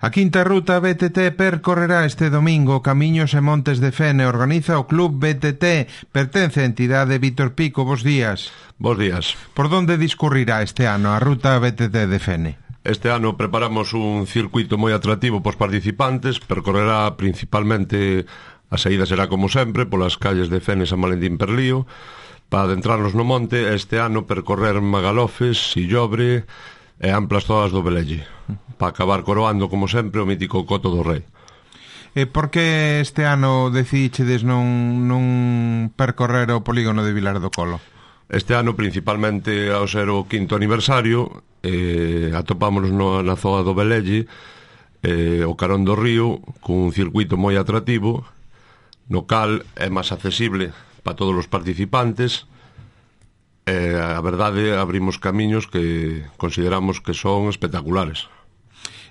A quinta ruta BTT percorrerá este domingo Camiños e Montes de Fene. Organiza o Club BTT, pertence á entidade Vítor Pico. Bos días. Bos días. Por onde discurrirá este ano a ruta BTT de Fene? Este ano preparamos un circuito moi atractivo pos participantes. Percorrerá principalmente, a saída será como sempre polas calles de Fene, San Valentín, Perlío, para adentrarnos no monte. Este ano percorrer Magalofes, Sillobre e amplas zonas do Velelle, para acabar coroando, como sempre, o mítico Coto do Rei. E por que este ano decidíchedes non percorrer o polígono de Vilar do Colo? Este ano, principalmente ao ser o quinto aniversario, atopámonos na zona do Velelle, o carón do río, cun circuito moi atractivo, no cal é máis accesible para todos os participantes. A verdade, abrimos camiños que consideramos que son espectaculares.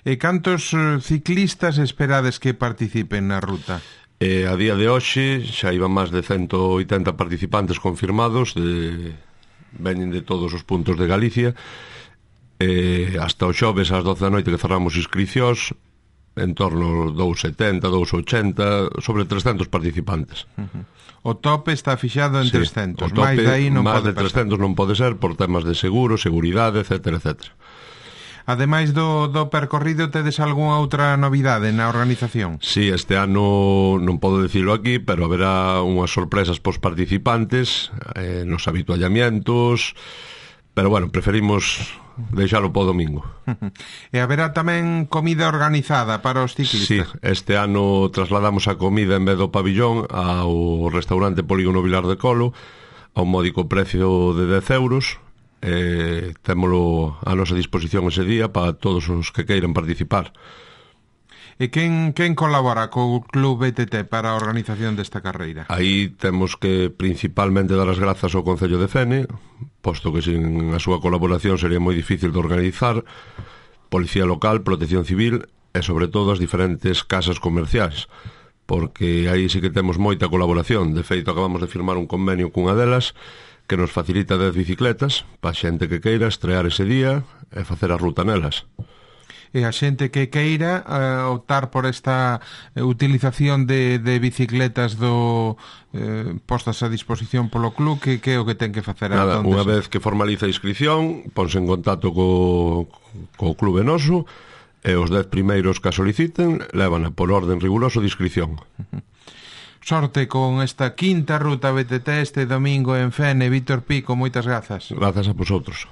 E cantos ciclistas esperades que participen na ruta? A día de hoxe xa iban máis de 180 participantes confirmados, veñen de todos os puntos de Galicia. Hasta o xoves ás 12 da noite que cerramos inscricións, en torno 270, 280, sobre 300 participantes. O tope está fixado en 300, máis de aí non máis pode de 300 non pode ser por temas de seguro, seguridade, etcétera, etcétera. Ademais do percorrido, tedes algunha outra novidade na organización? Sí, este ano non podo dicilo aquí, pero haberá unhas sorpresas pos participantes, nos habituallamientos, pero bueno, preferimos deixalo po domingo. E haberá tamén comida organizada para os ciclistas? Sí, este ano trasladamos a comida en vez do pabillón ao restaurante Polígono Vilar de Colo a un módico precio de 10 euros. Témolo a nosa disposición ese día para todos os que queiran participar. E quen colabora co Club BTT para a organización desta carreira? Aí temos que principalmente dar as grazas ao Concello de Fene, posto que sin a súa colaboración sería moi difícil de organizar, Policía Local, Protección Civil e sobre todo as diferentes casas comerciais, porque aí sí que temos moita colaboración. De feito, acabamos de firmar un convenio cunha delas que nos facilita 10 bicicletas para a xente que queira estrear ese día e facer a ruta nelas. E a xente que queira optar por esta utilización de bicicletas postas a disposición polo club, que é o que ten que facer? Nada, unha vez que formaliza a inscripción, ponse en contacto co clube noso, e os 10 primeiros que a soliciten levan por orden riguroso de inscripción. Sorte con esta quinta ruta BTT este domingo en Fene. Vítor Pico, moitas grazas. Grazas a vosotros.